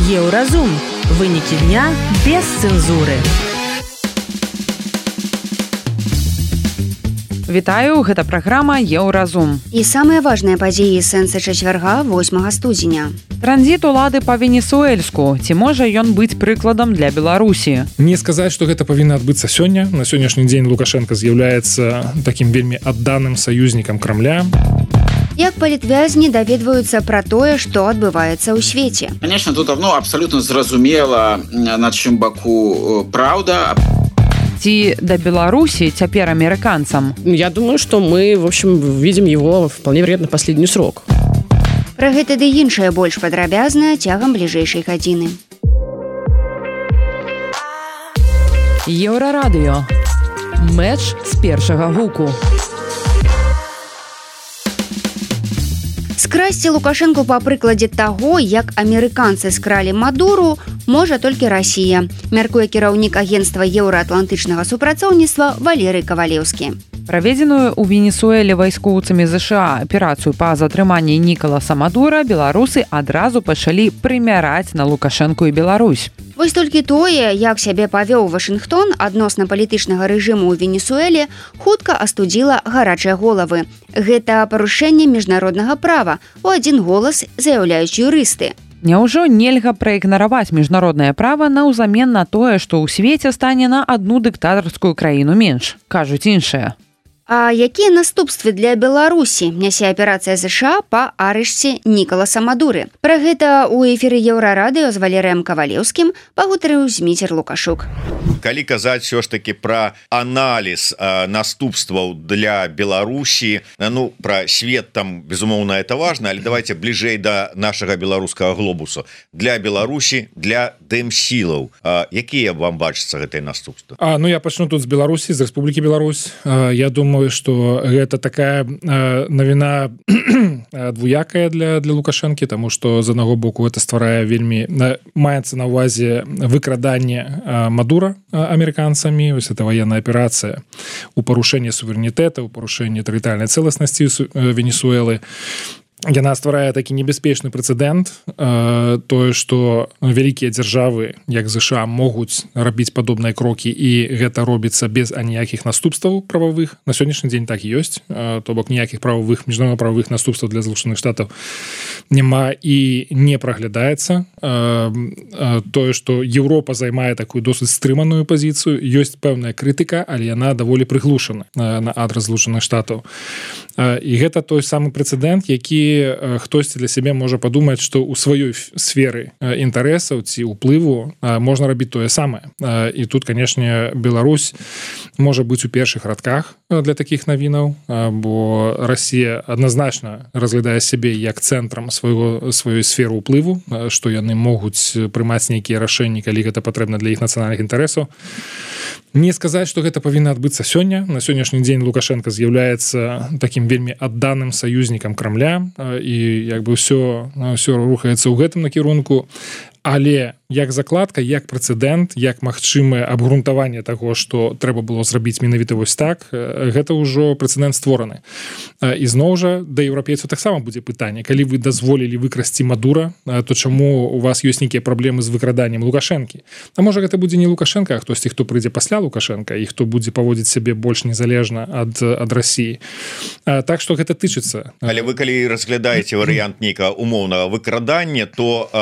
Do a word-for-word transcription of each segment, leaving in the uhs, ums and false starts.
Еўразум. Вынікі дня без цэнзуры. Вітаю, гэта праграма Еўразум. І самыя важныя падзеі сэнса чацвярга восьмага студзеня. Транзіт улады па венесуэльску. Ці можа ён быць прыкладам для Беларусі? Не сказаць, што гэта павінна адбыцца сёння. На сённяшні дзень Лукашенко з'яўляецца такім вельмі адданым саюзнікам Крамля. Як палітвязні даведваюцца пра тое, што адбываецца ў свеце. Конечно, тут ну, абсолютно зразумела, на чым баку праўда. Ці да Беларусі цяпер амерыканцам? Я думаю, что мы, в общем, видим его вполне вероятно последний срок. Пра гэта ды іншае больш падрабязна цягам бліжэйшай гадзіны. Еўрарадыё. Мэч з першага гуку. Скрасці Лукашенку па прыкладзе таго, як амерыканцы скралі Мадуру, можа толькі Расія, мяркуе кіраўнік агенцтва еўраатлантычнага супрацоўніцтва Валерый Кавалеўскі. Праведзеную ў Венесуэле вайскоўцамі ЗША аперацыю па затрыманні Нікаласа Мадура беларусы адразу пачалі прымяраць на Лукашэнку і Беларусь. Вось толькі тое, як сябе павёў Вашынгтон адносна палітычнага рэжыму ў Венесуэле, хутка астудзіла гарачыя головы. Гэта парушэнне міжнароднага права, у адзін голас заяўляюць юрысты. Няўжо нельга праігнараваць міжнароднае права наўзамен на тое, што ў свеце стане на адну дыктатарскую краіну менш, кажуць іншыя. А якія наступствы для Беларусі нясе аперацыя ЗША па арышце Нікаласа Мадуры? Пра гэта ў эфіры Еўрарадыё з Валерыем Кавалеўскім пагутарыў Зміцер Лукашук. Калі казаць все ж таки пра аналіз э, наступстваў для Беларусі, ну пра свет там безумоўна это важно, але давайте бліжэй да нашага беларускага глобусу. Для Беларусі, для дэмсілаў, э, якія вам бачацца гэтыя наступствы? А, ну я пачну тут з Беларусі, з Рэспублікі Беларусь. Э, я думаю, что гэта такая э, навіна двуякая для для Лукашэнкі, тому что з аднаго боку это стварае вельмі э, маецца на ўвазе выкраданне э, Мадура э, амерыканцамі. Вось это военная аперацыя у парушэнні суверэнітэта, у парушэнні тэрытарыяльнай цэласнасці э, Венесуэлы. Яна стварае такі небяспечны прэцэдэнт, э, тое, што вялікія дзяржавы, як ЗША, могуць рабіць падобныя крокі, і гэта робіцца без аніякіх наступстваў прававых. На сённяшні дзень так і ёсць, э, то бок ніякіх прававых, міжнародна-прававых наступстваў для Злучаных Штатаў няма і не праглядаецца. Э, э, тое, што Еўропа займае такую досыць стрыманую пазіцыю, ёсць пэўная крытыка, але яна даволі прыглушана э, на адрас Злучаных Штатаў. Э, і гэта той самы прэцэдэнт, які хтосьці для сябе можа падумаць, што ў сваёй сферы інтарэсаў ці ўплыву можна рабіць тое самае. І тут, канешне, Беларусь можа быць у першых радках для такіх навінаў, бо Расія адназначна разглядае сябе як цэнтрам свайго сваёй сферы ўплыву, што яны могуць прымаць нейкія рашэнні, калі гэта патрэбна для іх нацыянальных інтарэсаў. Не сказаць, што гэта павінна адбыцца сёння. На сённяшні дзень Лукашенко з'яўляецца такім вельмі адданым саюзнікам Крамля, і як бы ўсё, ўсё рухаецца ў гэтым накірунку. Але як закладка, як прэцэдэнт, як магчымае абгрунтаванне таго, што трэба было зрабіць менавіта вось так, гэта ўжо прэцэдэнт створаны. І зноў жа да еўрапейцаў таксама будзе пытанне: калі вы дазволілі выкрасці Мадура, то чаму у вас ёсць нейкія праблемы з выкраданнем Лукашэнкі? А можа гэта будзе не Лукашенко, а хтосьці, хто прыйдзе пасля Лукашенка і хто будзе паводзіць сябе больш незалежна ад ад Расіі. Так што гэта тычыцца. Але вы калі разглядаеце варыянт нейкага умоўнага выкрадання, то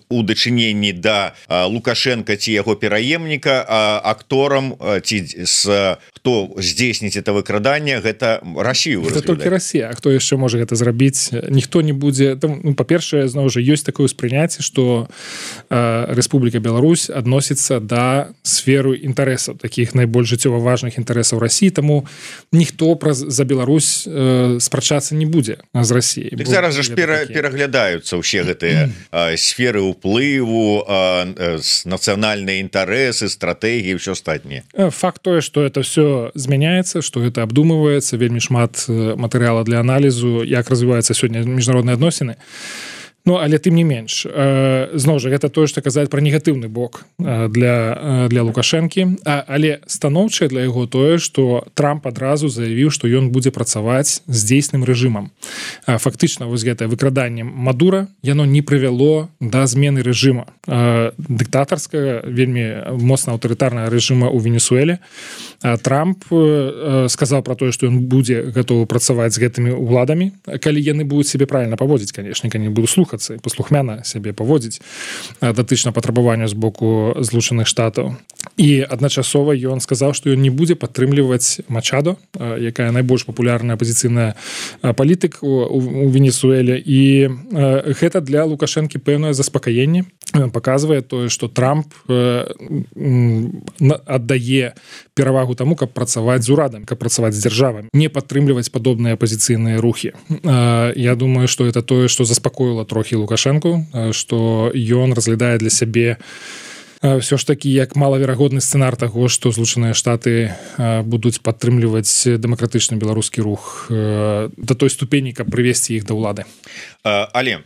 у дачыненні да Лукашенко ці яго пераемніка акторам ці з хто здзейсніць это выкраданне, гэта Расію. Это толькі Расія. А хто яшчэ можа гэта зрабіць? Ніхто не будзе. Ну, па-першае, зноў жа ёсць такое ўспрыняцце, што Рэспубліка Беларусь адносіцца да сферы інтарэсаў, такіх найбольш жыццёва важных інтарэсаў Расіі, таму ніхто праз за Беларусь э, спрачацца не будзе з Расіяй. Так зараз жа ж пера, пераглядаюцца ўсе гэтыя сферы ўплыву, нацыянальныя інтарэсы, стратэгіі, ўсё астатняе. Факт тое, што это все змяняецца, што гэта абдумываецца, вельмі шмат матэрыяла для аналізу, як развіваюцца сёння міжнародныя адносіны. Ну але тым не менш зноў жа гэта тое што казаць пра негатыўны бок для для Лукашэнкі, але станоўчае для яго тое што Трамп адразу заявіў што ён будзе працаваць з дзейсным рэжымам. Фактычна вось гэтае выкраданне Мадура яно не прывяло да змены рэжыма дыктатарскага вельмі моцна аўтарытарнага рэжыма ў Венесуэле. Трамп сказаў пра тое што ён будзе гатовы працаваць з гэтымі ўладамі, калі яны будуць сябе правильно паводзіць, канешне, калі будуць слухацца і паслухмяна сябе паводзіць датычна патрабаванню з боку Злучаных Штатаў. І адначасова ён сказаў, што ён не будзе падтрымліваць Мачадо, якая найбольш папулярная апазіцыйная палітык у Венесуэле, і гэта для Лукашэнкі пэўнае заспакаенне паказвае тое, што Трамп аддае перавагу таму, каб працаваць з урадам, каб працаваць з дзяржавамі, не падтрымліваць падобныя апазіцыйныя рухі. Я думаю, што это тое, што заспакоіла трохі Лукашэнку, што ён разглядае для сябе ўсё ж такі як малаверагодны сцэнар таго, што Злучаныя Штаты будуць падтрымліваць дэмакратычны беларускі рух да той ступені, каб прывесці іх да ўлады. Але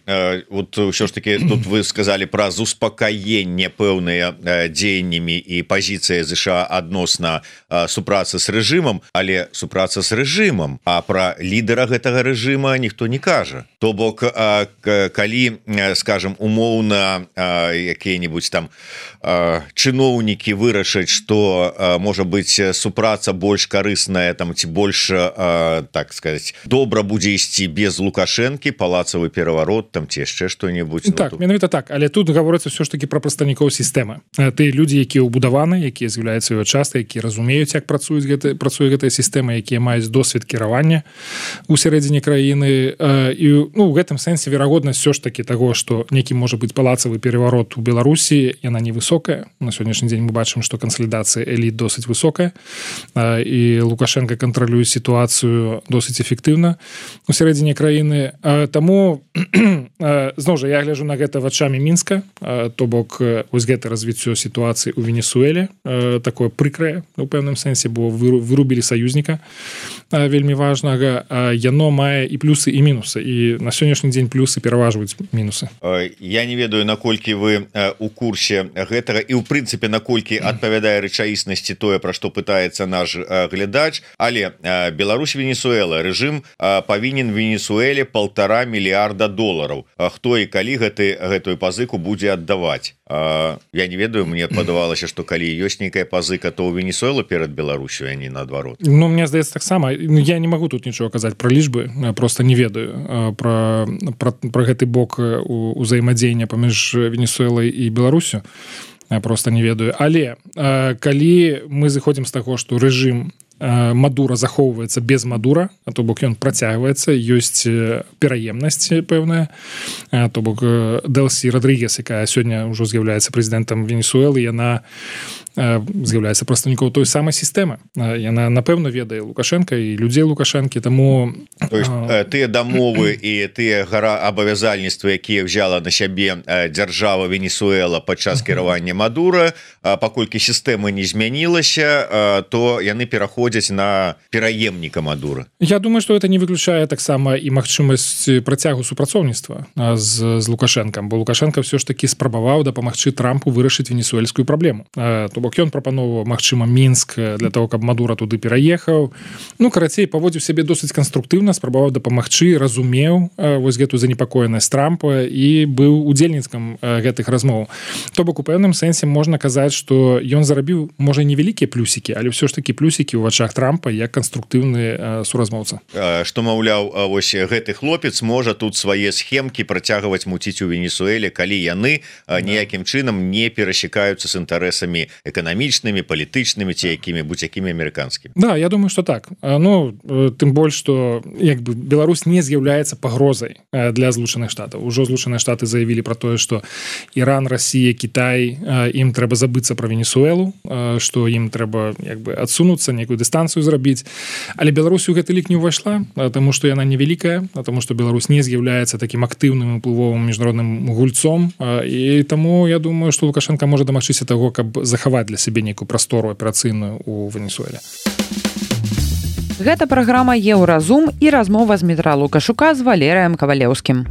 вот ўсё ж таки тут вы сказалі пра успакаенне пэўныя дзеяннямі і пазіцыя ЗША адносна супрацы з рэжымам, але супраца з рэжымам, а пра лідара гэтага рэжыма ніхто не кажа. То бок калі, скажем, умоўна якія-небудзь там чыноўнікі вырашаць, што можа быць супраца больш карысная там ці больш, так сказать, добра будзе ісці без Лукашэнкі, палацавы пераварот там ці яшчэ што-небудзь. Так, менавіта так, але тут гаворыцца ўсё ж такі пра прадстаўнікоў сістэмы. Тыя людзі, якія ўбудаваны, якія з'яўляюцца яго часткай, якія разумеюць, як працуюць гэта, працуе гэтая сістэма, якія маюць досвед кіравання ў сярэдзіне краіны. І ну, у гэтым сэнсе верагоднасць ўсё ж такі таго, што некі можа быць палацавы пераварот у Беларусі, яна невысокая. На сённяшні дзень мы бачым, што кансалідацыя эліт досыць высокая, і Лукашенко кантралюе сітуацыю досыць эфектыўна у сярэдзіне краіны. Таму зноў жа я гляджу на гэта вачамі Мінска, то бок вось гэта развіццё сітуацыі ў Венесуэле такое прыкрае у пэўным сэнсе, бо вырубілі саюзніка вельмі важнага. Яно мае і плюсы і мінусы, і на сённяшні дзень плюсы пераважваюць мінусы. Я не ведаю, наколькі вы у курсе гэтага і ў прынцыпе наколькі адпавядае рэчаіснасці тое, пра што пытаецца наш глядач, але Беларусь, Венесуэла, рэжым павінен Венесуэле полтора мільярда долараў. Хто і калі гэты гэтую пазыку будзе аддаваць? Я не ведаю, мне падавалася, што калі ёсць нейкая пазыка, то ў Венесуэлу перад Беларусю, а не наадварот. Ну, мне здаецца таксама. Я не магу тут нічого казаць пра лічбы, просто не ведаю пра, пра, пра гэты бок узаемадзеяння паміж Венесуэлай і Беларусю. Просто не ведаю. Але калі мы зыходзім з таго, што рэжым Мадура захоўваецца без Мадура, а то бок ён працягваецца, ёсць пераемнасць пэўная, то бок Дэлсі Родригес, якая сёння ўжо з'яўляецца прэзідэнтам Венесуэлы, яна з'яўляецца прадстаўніком той самай сістэмы. Яна напэўна ведае Лукашенка і людзей Лукашэнкі, таму то есть тыя дамовы і тыя гара абавязальніцтвы, якія ўзяла на сябе дзяржава Венесуэла падчас кіравання Мадура, паколькі сістэма не змянілася, то яны пераходзяць на пераемніка Мадура. Я думаю, што это не выключае таксама і магчымасць працягу супрацоўніцтва з, з Лукашэнкам, бо Лукашенко ўсё ж такі спрабаваў дапамагчы Трампу вырашыць венесуэльскую праблему. То бок ён прапановаў, магчыма, Мінск для того, каб Мадура туды пераехаў. Ну, карацей, паводзіў сябе досыць канструктыўна, спрабаваў дапамагчы, разумеў вось гэту занепакоенасць Трампа і быў удзельніцкам гэтых размоў. То бок у пэўным сэнсе можна казаць, што ён зарабіў, можа, невялікія плюсікі, але ўсё ж такі плюсікі ў вачах Трампа як канструктыўны суразмоўца. Што, маўляў, вось гэты хлопец можа тут свае схемкі працягваць муціць у Венесуэле, калі яны ніякім чынам не перасекаюцца з інтарэсамі эканамічнымі, палітычнымі ці якімі-будзь якімі амерыканскімі. Да, я думаю, што так. Ну, тым больш, што як бы Беларусь не з'яўляецца пагрозай для Злучаных Штатаў. Ужо Злучаныя Штаты заявілі пра тое, што Іран, Расія, Кітай, ім трэба забыцца пра Венесуэлу, што ім трэба як бы адсунуцца, некую дыстанцыю зрабіць. Але Беларусь у гэты лік не ўвайшла, таму што яна невялікая, таму што Беларусь не з'яўляецца такім актыўным уплывовым міжнародным гульцом, і таму я думаю, што Лукашенко можа дамагчыся таго, каб захаваць для сябе нейкую прастору аперацыйную ў Венесуэле. Гэта праграма «Еўразум» і размова з Дмітра Лукашука з Валерыем Кавалеўскім.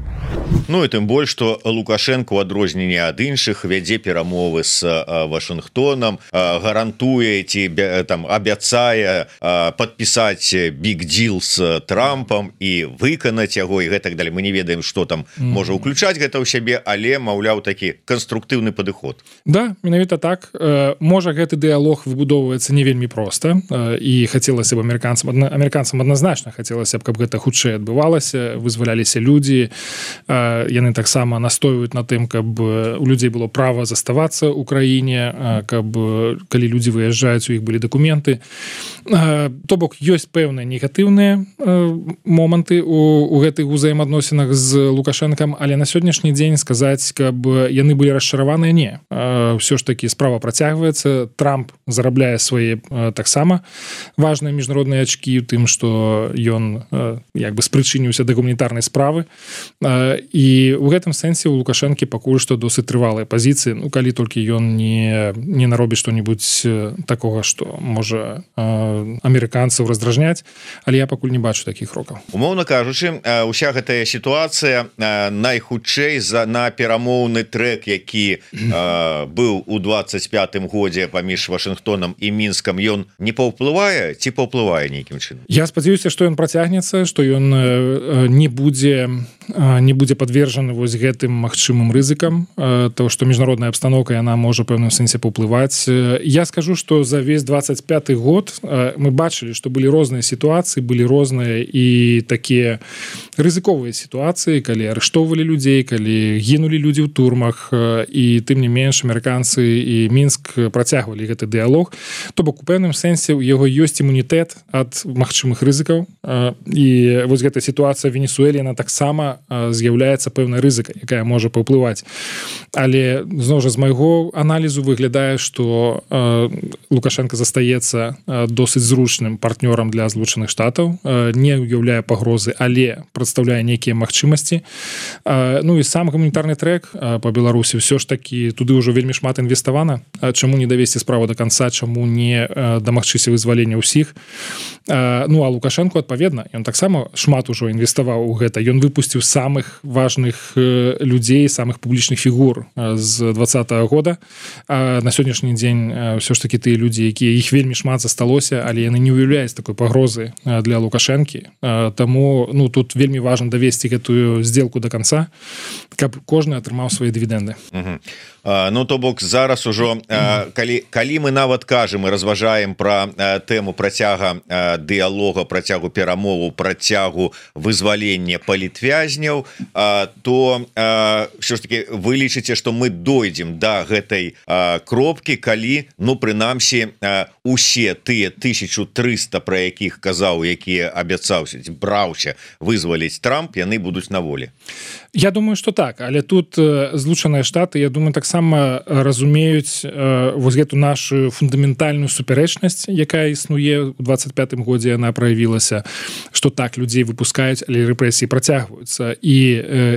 Ну і тым больш што Лукашенко у адрозненне ад іншых вядзе перамовы з Вашынгтонам, гарантуе ці там абяцае падпісаць big deal з Трампам і выканаць яго і гэтак далее. Мы не ведаем, што там можа ўключаць гэта ў сябе, але маўляў такі канструктыўны падыход. Да, менавіта так. Можа гэты дыялог выбудоўваецца не вельмі проста і хацелася б амерыканцам амерыканцам адназначна хацелася б, каб гэта хутчэй адбывалася, вызваляліся людзі. Яны таксама настойваюць на тым, каб у людзей было права заставацца ў краіне, каб калі людзі выязджаюць, у іх былі дакументы. То бок ёсць пэўныя негатыўныя моманты у, у гэтых узаемаадносінах з Лукашэнкам, але на сённяшні дзень сказаць, каб яны былі расчараваныя, не. Ўсё ж такі справа працягваецца. Трамп зарабляе свае таксама важныя міжнародныя ачкі ў тым, што ён як бы спрычыніўся да гуманітарнай справы. І у гэтым сэнсе у Лукашэнкі пакуль што досыць трывалыя пазіцыі, ну калі толькі ён не, не наробіць што-небудзь такога, што можа амерыканцаў раздражняць, але я пакуль не бачу такіх крокаў. Умоўна кажучы, уся гэтая сітуацыя найхутчэй за на перамоўны трэк, які быў у двадцать пятым годзе паміж Вашынгтонам і Мінскам, ён не паўплывае ці паўплывае нейкім чынам? Я спадзяюся, што ён працягнецца, што ён не будзе не будзе падвержаны вось гэтым магчымым рызыкам, то што міжнародная абстаноўка яна можа пэўным сэнсе паўплываць. Я скажу, што за весь двадцать пяты год мы бачылі, што былі розныя сітуацыі, былі розныя і такія рызыковыя сітуацыі, калі арыштоўвалі людзей, калі гінулі людзі ў турмах, і тым не менш амерыканцы і Мінск працягвалі гэты дыялог. То бок у пэўным сэнсе у яго ёсць імунітэт ад магчымых рызыкаў, і вось гэта сітуацыя в Венесуэле яна таксама з'яўляецца пэўнай рызыкай, якая можа паўплываць. Але зноў жа з майго аналізу выглядае, што Лукашенко застаецца досыць зручным партнёрам для Злучаных Штатаў, не ўяўляе пагрозы, але прадстаўляе нейкія магчымасці. Ну і сам гуманітарны трэк па Беларусі ўсё ж такі туды ўжо вельмі шмат інвеставана. Чаму не давесці справу да канца, чаму не дамагчыся вызвалення ўсіх? Ну а Лукашенко адпаведна, ён таксама шмат ужо інвеставаў у гэта. Ён выпусціў самых важных людзей, самых публічных фігур з двадцатага года. На сённяшні дзень ўсё ж такі тыя людзі, якія іх вельмі шмат засталося, але яны не ўяўляюць такой пагрозы для Лукашэнкі. Таму ну тут вельмі важна давесці гэтую сделку до конца, каб кожны атрымаў свае дывідэнды. Угу. Ну то бок зараз ужо калі, калі мы нават кажам і разважаем пра тэму працяга дыялога, працягу перамову, працягу вызвалення палітвязняў, то ўсё ж таки вы лічыце, што мы дойдзем да гэтай кропкі, калі ну прынамсі усе тыя тысячу трыста, пра якіх казаў, якія абяцаўся, браўся вызваліць Трамп, яны будуць на волі. Я думаю, што так, але тут Злучаныя Штаты, я думаю, таксама разумеюць вось гэту нашу фундаментальную супярэчнасць, якая існуе ў двадцать пятым годзе, яна праявілася, што так людзей выпускаюць, але рэпрэсіі працягваюцца. І,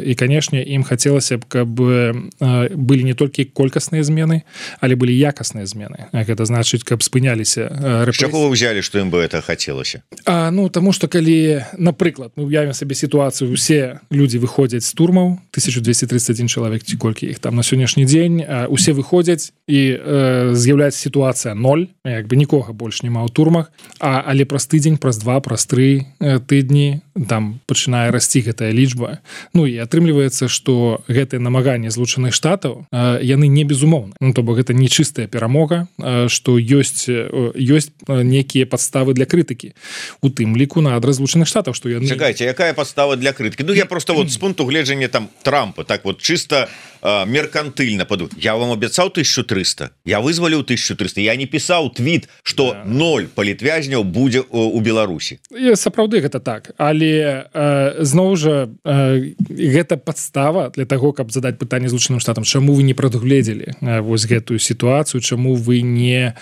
і канешне, ім хацелася б, каб былі не толькі колькасныя змены, але былі якасныя змены. Гэта значыць, каб спыняліся рэпрэсіі. Чаго вы ўзялі, што ім бы это хацелася? А, ну, таму што калі, напрыклад, мы ўявім сабе сітуацыю, усе людзі выходзяць з турмаў, тысяча двести тридцать один чалавек, ці колькі іх там на сённяшні дзень, усе выходзяць і э, з'яўляецца сітуацыя ноль, як бы нікога больш няма ў турмах, а, але праз тыдзень, праз два, праз тры э, тыдні там пачынае расці гэтая лічба. Ну і атрымліваецца, што гэтае намаганне Злучаных Штатаў э, яны не безумоўны. Ну, то бок гэта не чыстая перамога, э, што ёсць, э, ёсць некія падставы для крытыкі. У тым ліку на адрас Злучаных Штатаў, што яны... Чакайце, якая падстава для крытыкі? Ну я просто вот з пункту гледжання там Трампа, так вот чисто э, меркантыльна паду. Я вам абяцаў тысячу трыста, я вызваліў тысячу трыста, я не пісаў твіт, што да. ноль палітвязняў будзе у Беларусі. І сапраўды гэта так, але э, зноў жа э, гэта падстава для таго, каб задаць пытанне Злучаным Штатам, чаму вы не прадугледзелі э, вось гэтую сітуацыю, чаму вы не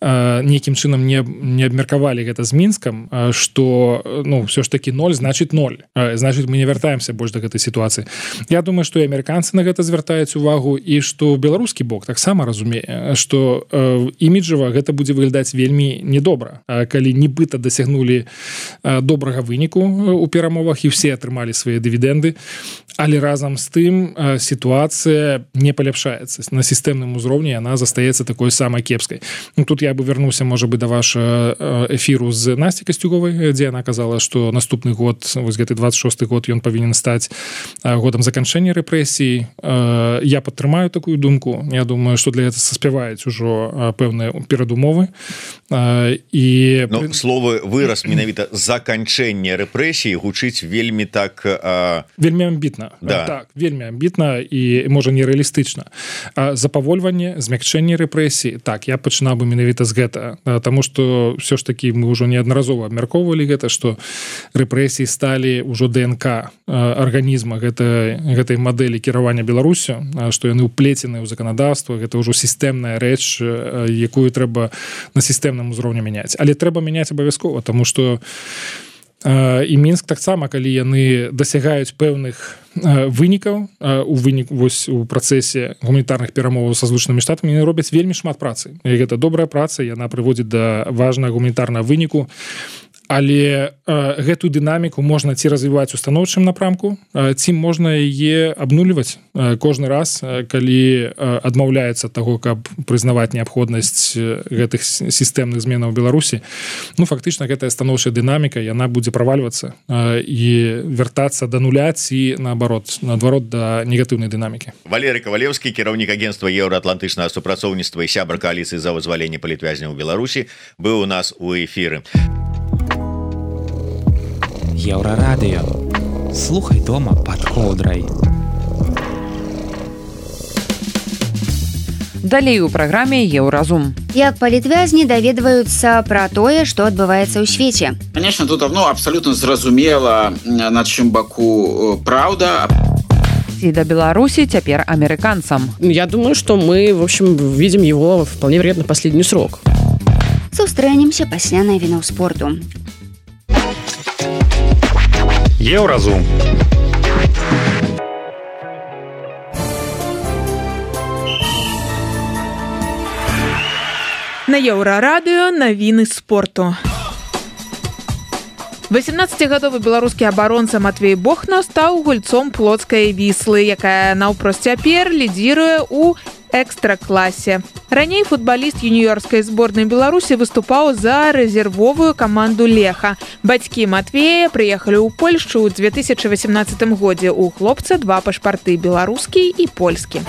э, нейкім чынам не, не абмеркавалі гэта з Мінскам, э, што ну ўсё ж такі ноль значыць ноль, э, значыць мы не вяртаемся больш да гэтай сітуацыі. Я думаю, што і амерыканцы на гэта звяртаюць звяртаюць увагу і што беларускі бок таксама разумее, што іміджава гэта будзе выглядаць вельмі недобра, калі нібыта дасягнулі добрага выніку у перамовах і все атрымалі свае дывідэнды, але разам з тым сітуацыя не паляпшаецца. На сістэмным узроўні яна застаецца такой самай кепскай. Ну, тут я бы вярнуўся, можа бы, да вашага эфіру з Насцей Касцюковай, дзе яна казала, што наступны год, вось гэты двадцать шосты год, ён павінен стаць годам заканчэння рэпрэсій. Я падтрымаю такую думку. Я думаю, што для гэта саспяваюць ужо пэўныя перадумовы. І... Ну, словы выраз менавіта заканчэння рэпрэсій гучыць вельмі так... А... Вельмі амбітна. Да. Так, вельмі амбітна і, можа, нерэалістычна. Запавольванне, змякчэнне рэпрэсій, так, я пачынаў бы менавіта з гэта. Таму што ўсё ж такі мы ўжо неаднаразова абмяркоўвалі гэта, што рэпрэсіі сталі ўжо ДНК арганізма гэтай, гэтай мадэлі кіравання Беларусю, што яны ўплецены ў заканадаўства, гэта ўжо сістэмная рэч, якую трэба на сістэмным узроўні мяняць. Але трэба мяняць абавязкова, таму што і Мінск таксама, калі яны дасягаюць пэўных вынікаў у вынік вось у працэсе гуманітарных перамоваў са Злучанымі Штатамі, яны робяць вельмі шмат працы. І гэта добрая праца, яна прыводзіць да важнага гуманітарнага выніку. Але э, гэтую дынаміку можна ці развіваць у станоўчым напрамку, э, ці можна яе абнуліваць э, кожны раз, э, калі э, адмаўляецца таго, каб прызнаваць неабходнасць гэтых сістэмных зменаў у Беларусі. Ну, фактычна, гэтая станоўчая дынаміка, яна будзе правальвацца э, і вяртацца да нуля ці, наадварот, наадварот, да негатыўнай дынамікі. Валерый Кавалеўскі, кіраўнік агенцтва еўраатлантычнага супрацоўніцтва і сябра кааліцыі за вызваленне палітвязняў у Беларусі, быў у нас у эфіры. Еўрарадыё. Слухай дома пад коўдрай. Далей у праграме Еўразум. Як палітвязні даведваюцца пра тое, што адбываецца ў свеце. Конечно, тут ну, абсолютно зразумела, на чым баку праўда. И до Беларуси теперь американцам. Я думаю, что мы, в общем, видим его вполне вероятно последний срок. Сустрэнемся пасля навінаў спорту. Еўразум. На Еўрарадыё навіны спорту. восемнаццацігадовы беларускі абаронца Матвей Бохна стаў гульцом плоцкай Віслы, якая наўпрост цяпер лідзіруе ў экстра-класе. Раней футбаліст юніёрскай зборнай Беларусі выступаў за рэзервовую каманду Леха. Бацькі Матвея прыехалі ў Польшчу ў две тысячы васямнаццатым годзе. У хлопца два пашпарты – беларускі і польскі.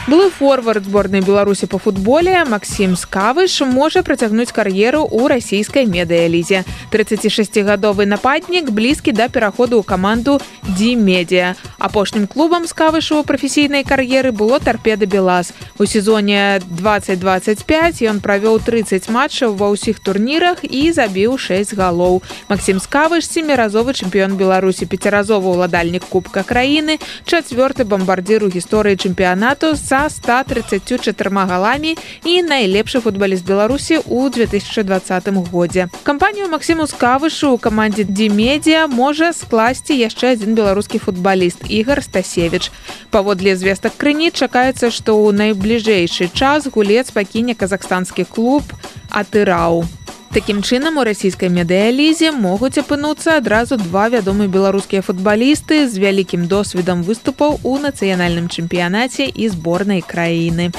Былы форвард зборнай Беларусі по футболе Максім Скавыш можа працягнуць кар'еру ў расійскай медыялізе. трыццацішасцігадовы нападнік блізкі да пераходу ў каманду Ди-Медіа. Апошнім клубам Скавышу ў прафесійнай кар'еры было Торпеда Белаз. У сезоне двадцать двадцать пять ён правёў трыццаць матчаў ва ўсіх турнірах і забіў шэсць галоў. Максім Скавыш – семіразовы чэмпіён Беларусі, пяціразовы ўладальнік Кубка краіны, чацвёрты бамбардзір у гісторыі чэмпіянату са ста трыццаццю чатырма галамі і найлепшы футбаліст Беларусі ў две тысячы двадцатым годзе. Кампанію Максіму Скавышу ў камандзе Ди-Медіа можа скласці яшчэ адзін беларускі футбаліст Ігор Стасевіч. Паводле звестак крыніц чакаецца, што ў найбліжэйшы час гулец пакіне казахстанскі клуб Атырау. Такім чынам, у расійскай медыялізе могуць апынуцца адразу два вядомыя беларускія футбалісты з вялікім досведам выступаў у нацыянальным чэмпіянаце і зборнай краіны.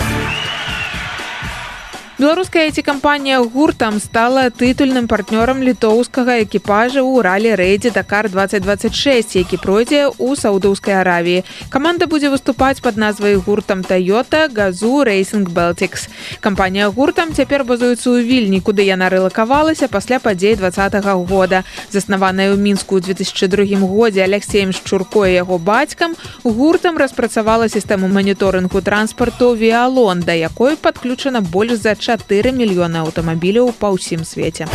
Беларуская ай ти-кампанія «Гуртам» стала тытульным партнёрам літоўскага экіпажа ў ралі-рэйдзе «Дакар двадцать двадцать шесть», які пройдзе ў Саудаўскай Аравіі. Каманда будзе выступаць пад назвай «Гуртам Toyota Gazoo Racing Baltics». Кампанія «Гуртам» цяпер базуецца ў Вільні, куды яна рэлакавалася пасля падзей двадцатага года. Заснаваная ў Мінску ў две тысячы другім годзе Алексеем Шчурко і яго бацькам, «Гуртам» распрацавала сістэму маніторынгу транспарту «Віалон», да якой падключана больш за чатыры мільёны аўтамабіляў па ўсім свеце.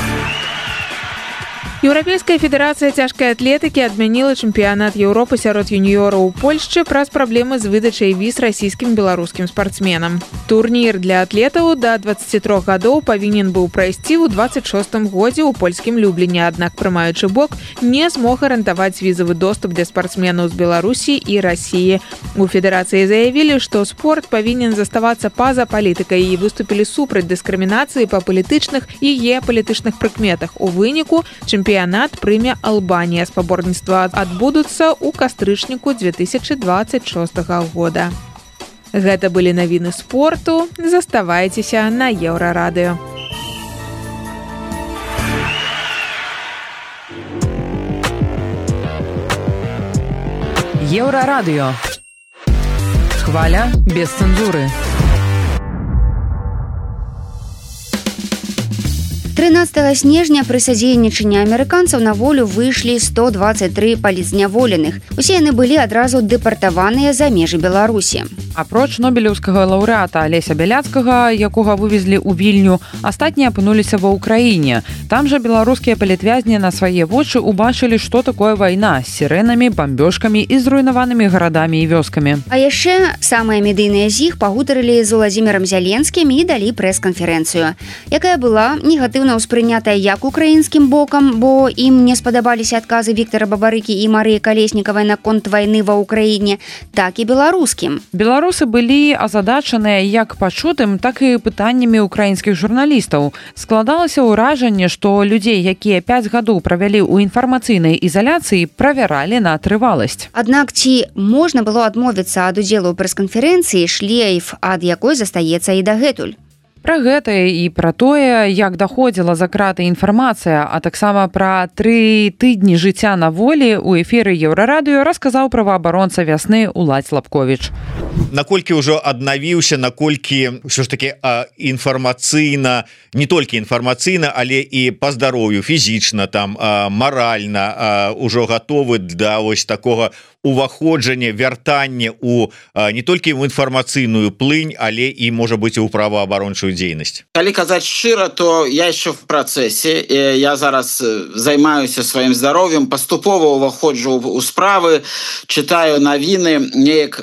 Еўрапейская федэрацыя цяжкай атлетыкі адмяніла чэмпіянат Еўропы сярод юніёраў у Польшчы праз праблемы з выдачай віз расійскім беларускім спартсменам. Турнір для атлетаў да дваццаці трох гадоў павінен быў прайсці ў дваццаць шостым годзе ў польскім Любліне, аднак прымаючы бок не змог гарантаваць візавы доступ для спартсменаў з Беларусі і Расіі. У федэрацыі заявілі, што спорт павінен заставацца па-за палітыкай і выступілі супраць дыскрымінацыі па палітычных і геапалітычных прыкметах. У выніку чэмпіянат прыме Албанія. Спаборніцтва адбудуцца ў кастрычніку дзве тысячы дваццаць шостага года. Гэта былі навіны спорту. Заставайцеся на Еўрарадыё. Еўрарадыё. Хваля без цэнзуры. трынаццатага снежня пры садзейнічанні амерыканцаў на волю выйшлі сто дваццаць тры палітзняволеных. Усе яны былі адразу дэпартаваныя за межы Беларусі. Апроч нобелеўскага лаўрэата Алеся Бяляцкага, якога вывезлі ў Вільню, астатнія апынуліся ва ўкраіне. Там жа беларускія палітвязні на свае вочы убачылі, што такое вайна з сірэнамі, бамбёжкамі і зруйнаванымі гарадамі і вёскамі. А яшчэ самыя медыйныя з іх пагутарылі з Уладзімірам Зяленскім і далі прэс-канферэнцыю, якая была негатыўна ўспрынятая як украінскім бокам, бо ім не спадабаліся адказы Віктара Бабарыкі і Марыі Калеснікавай наконт вайны ва ўкраіне, так і беларускім. Беларусы былі азадачаныя як пачутым, так і пытаннямі украінскіх журналістаў. Складалася ўражанне, што людзей, якія пяць гадоў правялі ў інфармацыйнай ізаляцыі, правяралі на трываласць. Аднак ці можна было адмовіцца ад удзелу ў прэс-канферэнцыі, шлейф ад якой застаецца і дагэтуль. Пра гэта і пра тое, як даходзіла за краты інфармацыя, а таксама пра тры тыдні жыцця на волі ў эфіры Еўрарадыё расказаў праваабаронца вясны Уладзь Лапковіч. Наколькі ўжо аднавіўся, наколькі ўсё ж такі інфармацыйна, не толькі інфармацыйна, але і па здароўю, фізічна, там маральна ўжо гатовы да вось такога уваходжання, вяртання у не толькі в інфармацыйную плынь, але і можа быць у праваабарончую дзейнасць. Калі казаць шчыра, то я еще в працэсе. Я зараз займаюся сваім здароўем, паступова уваходжу ў справы, чытаю навіны, неяк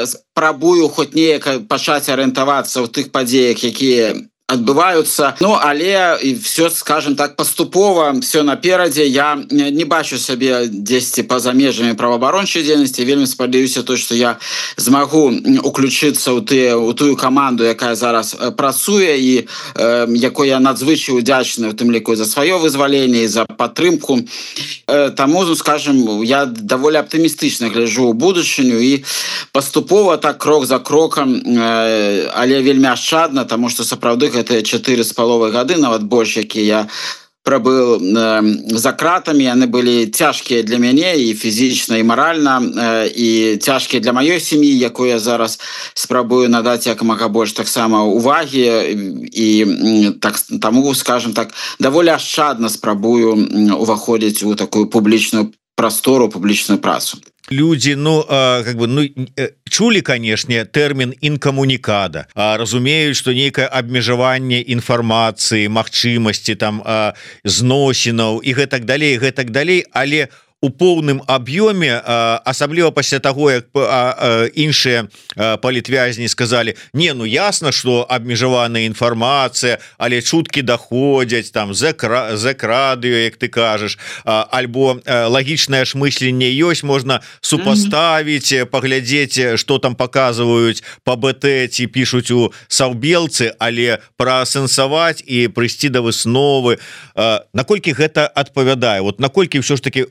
спрабую хоць неяк пачаць арыентавацца ў тых падзеях, якія адбываюцца. Ну, але і все, скажем так, паступова, все наперадзе. Я не бачу сябе дзесьці па-за межамі праваабарончай дзейнасці. Вельмі спадзяюся то, што я змагу уключыцца ў тыя ў тую каманду, якая зараз працуе і э, якой я надзвычай удзячны, у тым ліку за сваё вызваленне і за падтрымку. Э, таму, скажем, я даволі аптымістычна гляджу ў будучыню і паступова так крок за крокам, э, але вельмі ашчадна, таму што сапраўды гэта чатыры з паловай гады, нават больш, які я прабыў э, за кратамі. Яны былі цяжкія для мяне і фізічна, і маральна, э, і цяжкія для маёй сям'і, якой я зараз спрабую надаць як мага больш таксама увагі, і так, таму, скажем так, даволі ашчадна спрабую уваходзіць у такую публічную прастору, публічную працу. Люди, ну, э, как бы, ну, э, чулі, канешне, тэрмін інкамунікада, а разумеюць, што нейкае абмежаванне інфармацыі, магчымасці там э, зносінаў і гэтак далей, гэтак далей, але у поўным аб'ёме, асабліва пасля таго, як іншыя палітвязні сказалі: не, ну ясна, што абмежаваная інфармацыя, але чуткі даходзяць там з экрадыё, як ты кажаш, альбо лагічнае ж мысленне ёсць, можна супаставіць, паглядзець, што там паказваюць па БТ ці пішуць у саўбелцы, але праасэнсаваць і прыйсці да высновы. Наколькі гэта адпавядае? Вот наколькі ўсё ж такі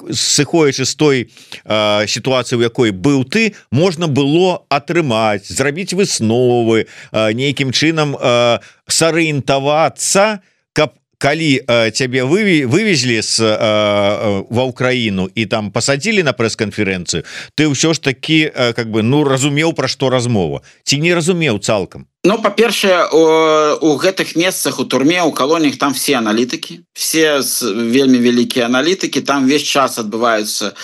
сыходзячы з той э, сітуацыі, у якой быў ты, можна было атрымаць, зрабіць высновы, э, нейкім чынам э, сарыентавацца, каб калі э, цябе выве, вывезлі з, э, ва ўкраіну і там пасадзілі на прэс-канферэнцыю, ты ўсё ж такі э, как бы, ну, разумеў, пра што размова, ці не разумеў цалкам? Ну, па-першае, у гэтых месцах, у турме, у калоніях там все аналітыкі, все вельмі вялікія аналітыкі, там весь час адбываюцца,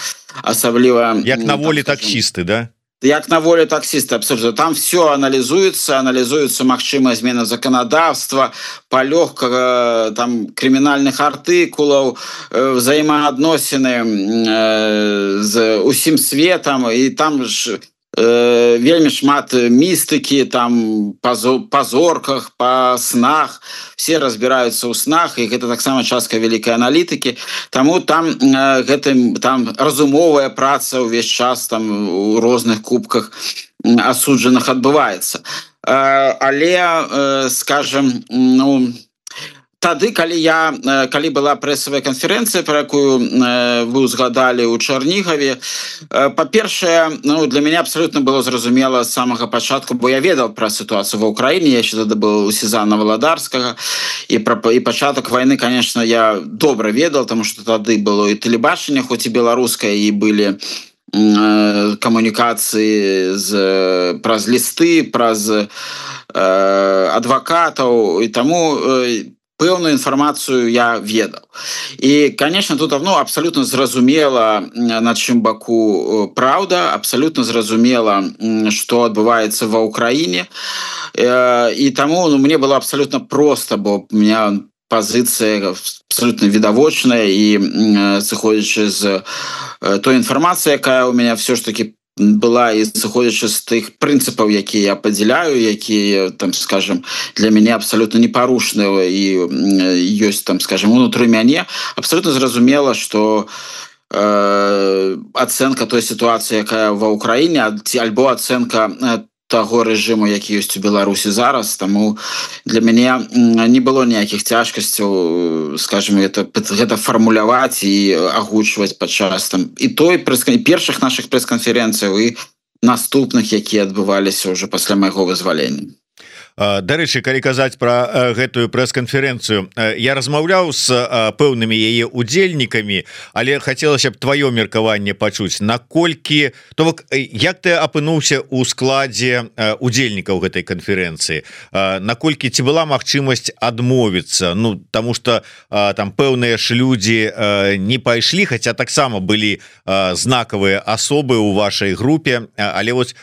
асабліва... Як на волі таксісты, да? як на воле таксиста, абсолютно. Там все анализуется, анализуется магчымая змена законодавства, палёгка там крымінальных артыкулаў, взаимоадносіны з усім светом, і там ж э, вельмі шмат містыкі, там па зорках, па снах, все разбираются ў снах, і гэта таксама частка вялікай аналітыкі. Таму там э, гэтым там разумовая праца ўвесь час там у розных кубках асуджаных адбываецца. Э, але, э, скажем, ну, тады, калі я, калі была прэсавая канферэнцыя, пра якую вы узгадалі ў Чарнігаве, па-першае, ну, для мяне абсалютна было зразумела з самага пачатку, бо я ведаў пра сітуацыю ва ўкраіне, я яшчэ тады быў у Сезана Валадарскага, і, пра, і пачатак вайны, конечно, я добра ведаў, таму што тады было і тэлебачанне, хоць і беларускае, і былі камунікацыі з, праз лісты, праз э, адвакатаў, і таму э, пэўную інфармацыю я ведаў. І, конечно, тут ну, абсалютна зразумела, на чым баку праўда, абсалютна зразумела, што адбываецца ва ўкраіне. І таму ну, мне было абсалютна проста, бо у меня пазіцыя абсалютна відавочная, і сыходзячы з той інфармацыі, якая у меня все ж таки была, і сыходзячы з тых прынцыпаў, якія я падзяляю, якія там, скажем, для мяне абсалютна непарушныя і ёсць там, скажем, унутры мяне, абсалютна зразумела, што э, ацэнка той сітуацыі, якая ва ўкраіне, альбо ацэнка таго рэжыму, які ёсць у Беларусі зараз, таму для мяне не было ніякіх цяжкасцяў, скажем, гэта, гэта фармуляваць і агучваць падчас там і той першых нашых прэс-канферэнцыяў і наступных, якія адбываліся ўжо пасля майго вызвалення. Дарэчы, калі казаць пра гэтую прэс-канферэнцыю, я размаўляў з пэўнымі яе удзельнікамі, але хацелася б тваё меркаванне пачуць, наколькі то бок як ты апынуўся ў складзе удзельнікаў гэтай канферэнцыі, наколькі ці была магчымасць адмовіцца, ну таму што там пэўныя ж людзі не пайшлі, хаця таксама былі знакавыя асобы ў вашай групе, але вось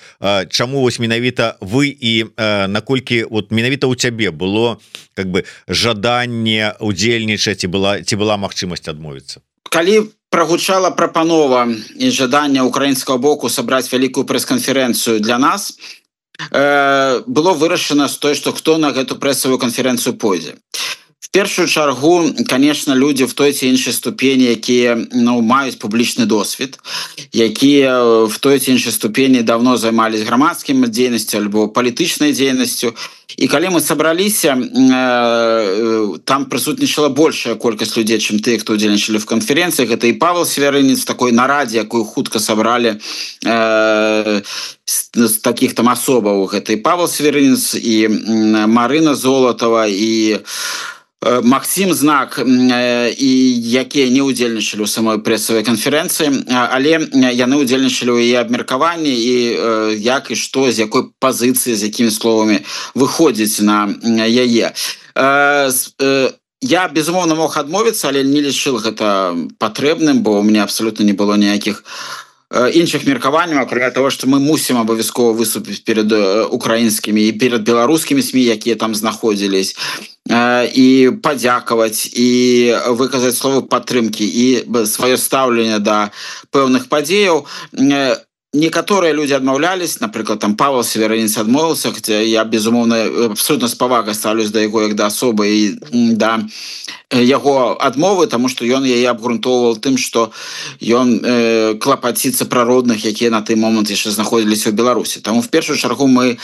чаму вось менавіта вы і наколькі вот менавіта у цябе было как бы жаданне удзельнічаць, і была ці была магчымасць адмовіцца? Калі прагучала прапанова і жаданне украінскага боку сабраць вялікую прэс-канферэнцыю для нас, э, было вырашана з той, што хто на гэту прэсавую канферэнцыю пойдзе. В першую чаргу, конечно, люди в той ці іншай ступені, якія ну, маюць публічны досвед, якія в той ці іншай ступені давно займались грамадскім дзейнасцю альбо палітычнай дзейнасцю. І калі мы сабраліся, э, там прысутнічала большая колькасць людзей, чым тыя, хто удзельнічалі в канферэнцыях. Гэта і Павел Северынец в такой нарадзе, якую хутка сабралі э, з такіх там асобаў. Гэта і Павел Северынец, і Марына Золотова, і Максим Знак, і якія не ўдзельнічалі ў самой прэсавай канферэнцыі, але яны ўдзельнічалі ў яе абмеркаванні і як і што, з якой пазіцыі, з якімі словамі выходзіць на яе. Я, безумоўна, мог адмовіцца, але не лічыў гэта патрэбным, бо ў мяне абсалютна не было ніякіх іншых меркаванняў, акрамя того, што мы мусім абавязкова выступіць перад украінскімі і перад беларускімі СМІ, якія там знаходзілись, і падзякаваць, і выказаць словы падтрымкі, і сваё стаўленне да пэўных падзеяў. Некаторыя людзі адмаўлялись, напрыклад, там Павел Северынец адмовіўся, хаця я, безумоўна, абсолютно з павагай ставлюсь да яго як да асобы і да яго адмовы, таму што ён яе абгрунтоўваў тым, што ён э, клапаціцца пра родных, якія на той момант яшчэ знаходзіліся ў Беларусі. Таму в першую чаргу мы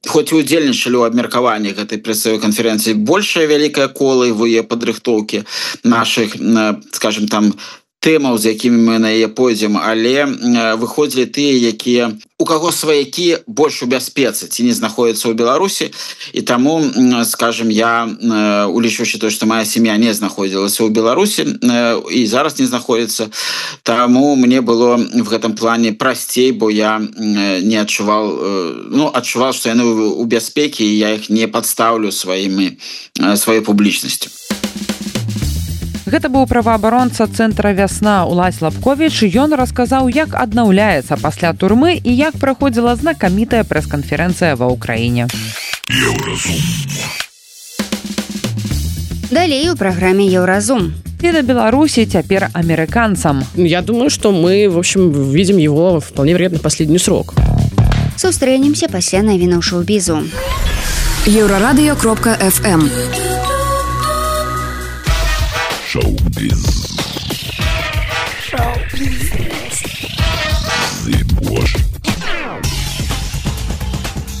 хоць і удзельнічалі ў абмеркаванні гэтай прэсавай канферэнцыі, большая вялікая кола в яе падрыхтоўкі нашых, скажем, там тэмаў, з якімі мы на яе пойдзем, але выходзілі тыя, якія у каго сваякі больш у бяспецы ці не знаходзяцца ў Беларусі, і таму, скажем, я, улічваючы то, што моя сям'я не знаходзілася ў Беларусі і зараз не знаходзіцца, таму мне было в гэтым плане прасцей, бо я не адчуваў, ну, адчуваў, што яны ў бяспекі, і я іх не падстаўлю сваімі, сваёй публічнасцю. Гэта быў праваабаронца цэнтра «Вясна» Улась Лапковіч. Ён расказаў, як аднаўляецца пасля турмы і як праходзіла знакамітая прэс-канферэнцыя ва ўкраіне. Далей у праграме «Еўразум». И до Беларуси теперь американцам. Я думаю, что мы, в общем, видим его вполне вероятно последний срок. Сустрэнемся пасля навінаў шоу-бізу. Еўрарадыё кропка эф эм. Шоу-біз.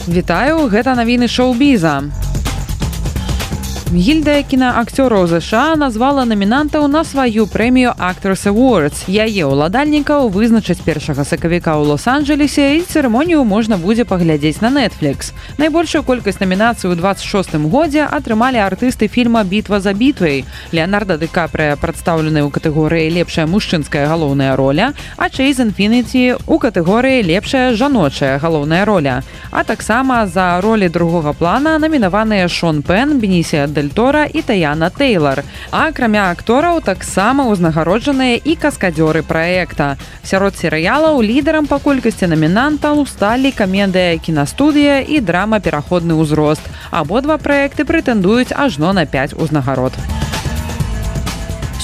Вітаю, гэта навіны шоу-біза. Гільдыя кінаакцёраў ЗША назвала намінантаў на сваю прэмію Actors Awards. Яе ўладальнікаў вызначаць першага сакавіка ў Лос-Анджелесе, і цырымонію можна будзе паглядзець на Netflix. Найбольшую колькасць намінацый у двадцать шостым годзе атрымалі артысты фільма «Бітва за бітвай». Леонардо Ди Капрыа прадстаўлены ў катэгорыі «Лепшая мужчынская галоўная роля», а Чейз Інфініці ў катэгорыі «Лепшая жаночая галоўная роля». А таксама за ролі другога плана намінаваныя Шон Пен, Бенісія Дель Торо і Таяна Тейлор. А акрамя актораў таксама ўзнагароджаныя і каскадзёры праекта. Сярод серыялаў лідарам па колькасці намінантаў сталі камедыя «Кінастудыя» і драма «Пераходны ўзрост». Абодва праекты прэтэндуюць ажно на пяць узнагарод.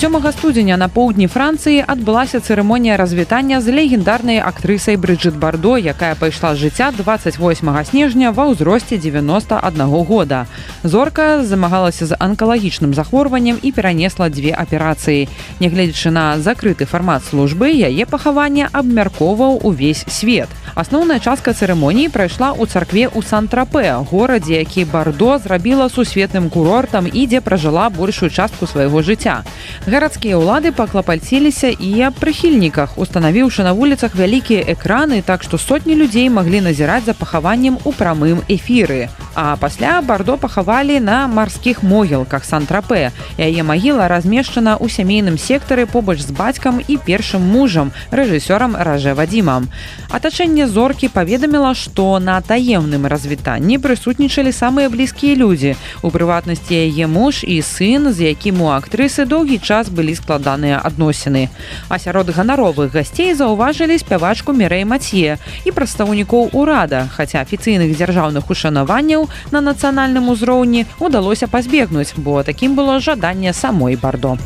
сёмага студзеня на поўдні Францыі адбылася цырымонія развітання з легендарнай актрысай Брыджыт Бардо, якая пайшла з жыцця двадцать восьмага снежня ва ўзросце девяноста аднаго года. Зорка замагалася з анкалагічным захворваннем і перанесла дзве аперацыі. Нягледзячы на закрыты фармат службы, яе пахаванне абмяркоўваў увесь свет. Асноўная частка цырымоніі прайшла ў царкве ў Сан-Трапе, горадзе, які Бардо зрабіла сусветным курортам і дзе пражыла большую частку свайго жыцця. Гарадскія ўлады паклапальціліся і аб прыхільніках, устанавіўшы на вуліцах вялікія экраны, так што сотні людзей маглі назіраць за пахаваннем у прамым эфіры. А пасля Бардо пахавалі на марскіх могілках Сан-Трапе. Яе магіла размешчана ў сямейным сектары побач з бацькам і першым мужам, рэжысёрам Ражэ Вадзімам. Атачэнне зоркі паведаміла, што на таемным развітанні прысутнічалі самыя блізкія людзі. У прыватнасці яе муж і сын, з якім у актрысы доўгі час былі складаныя адносіны. А сярод ганаровых гасцей заўважылі спявачку Мірэй Мацье і прадстаўнікоў урада, хаця афіцыйных дзяржаўных ушанаванняў на нацыянальным узроўні удалося пазбегнуць, бо такім было жаданне самой Бардо.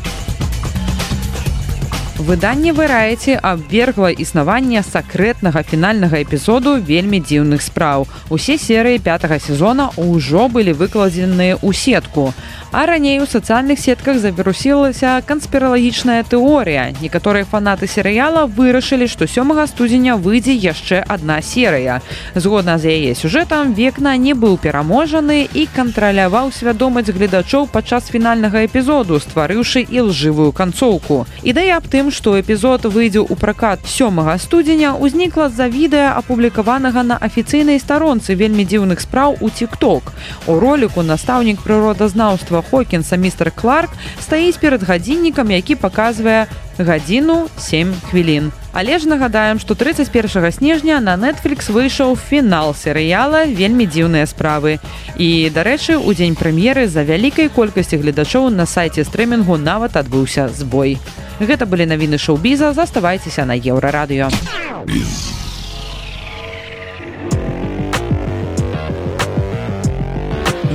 Выданне «Вэрайці» абвергла існаванне сакрэтнага фінальнага эпізоду «Вельмі дзіўных спраў». Усе серыі пятага сезона ўжо былі выкладзеныя ў сетку. А раней у сацыяльных сетках завірусілася канспіралагічная тэорыя. Некаторыя фанаты серыяла вырашылі, што сёмага студзеня выйдзе яшчэ адна серыя. Згодна з яе сюжэтам, Векна не быў пераможаны і кантраляваў свядомасць гледачоў падчас фінальнага эпізоду, стварыўшы ілжывую канцоўку. Ідэя аб тым, што эпізод выйдзе ў пракат сёмага студзеня, узнікла з-за відэа, апублікаванага на афіцыйнай старонцы «Вельмі дзіўных спраў» у TikTok. У роліку настаўнік прыродазнаўства Хокінса містер Кларк стаіць перад гадзіннікам, які паказвае гадзіну сем хвілін. Але ж нагадаем, што тридцать первого снежня на Netflix выйшаў фінал серыяла «Вельмі дзіўныя справы». І, дарэчы, у дзень прэм'еры з-за вялікай колькасці гледачоў на сайце стрымінгу нават адбыўся збой. Гэта былі навіны шоу-біза, заставайцеся на Еўрарадыё.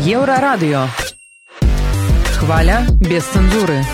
Еўрарадыё. Хваля без цэнзуры.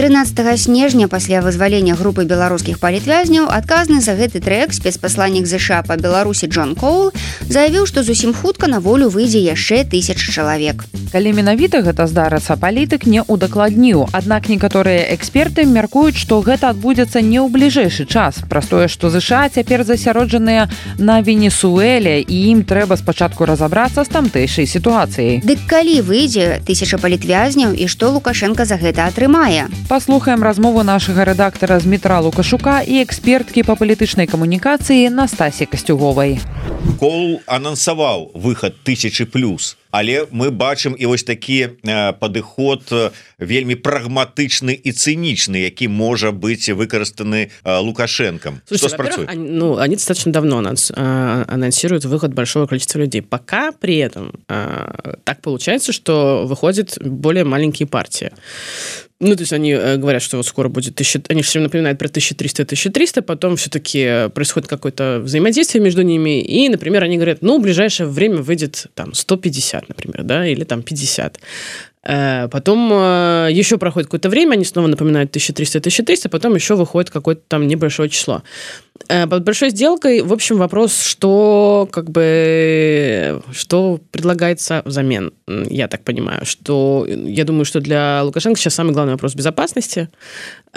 тринадцатого снежня пасля вызвалення групы беларускіх палітвязняў адказны за гэты трэк спецпасланнік ЗША па Беларусі Джон Коул заявіў, што зусім хутка на волю выйдзе яшчэ тысяча чалавек. Калі менавіта гэта здарыцца, палітык не ўдакладніў. Аднак некаторыя эксперты мяркуюць, што гэта адбудзецца не ў бліжэйшы час. Праз тое, што ЗША цяпер засяроджаныя на Венесуэле, і ім трэба спачатку разабрацца з тамтэйшай сітуацыяй. Дык калі выйдзе тысяча палітвязняў і што Лукашенка за гэта атрымае? Паслухаем размову нашага рэдактара Змітра Лукашука і эксперткі па палітычнай камунікацыі Настасі Касцюговай. Коул анансаваў выхад тысячи плюс. але мы бачым і вось такі падыход вельмі прагматычны і цынічны, які можа быць выкарыстаны Лукашенком. Что спрацует? Они, ну, они достаточно давно анонс, анонсируют выход большого количества людей. Пока при этом так получается, что выходят более маленькие партии. Ну, то есть они говорят, что вот скоро будет тысяча... Они все время напоминают про тысяча триста тысяча триста, потом все-таки происходит какое-то взаимодействие между ними, и, например, они говорят, ну, в ближайшее время выйдет там сто пятьдесят, например, да, или там пятьдесят. Потом еще проходит какое-то время, они снова напоминают тысяча триста тысяча триста, потом еще выходит какое-то там небольшое число. Под большой сделкой, в общем, вопрос, что как бы что предлагается взамен, я так понимаю, что я думаю, что для Лукашенко сейчас самый главный вопрос безопасности,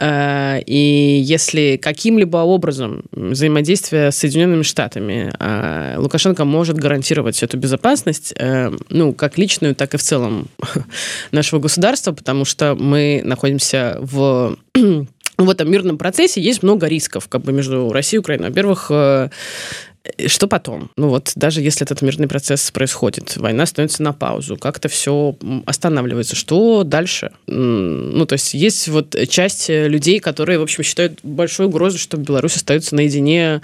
и если каким-либо образом взаимодействие с Соединенными Штатами Лукашенко может гарантировать эту безопасность, ну, как личную, так и в целом нашего государства, потому что мы находимся в... В этом мирном процессе есть много рисков как бы между Россией и Украиной. Во-первых, что потом? Ну вот, даже если этот мирный процесс происходит, война становится на паузу, как-то все останавливается. Что дальше? Ну, то есть есть вот часть людей, которые, в общем, считают большой угрозой, что Беларусь остается наедине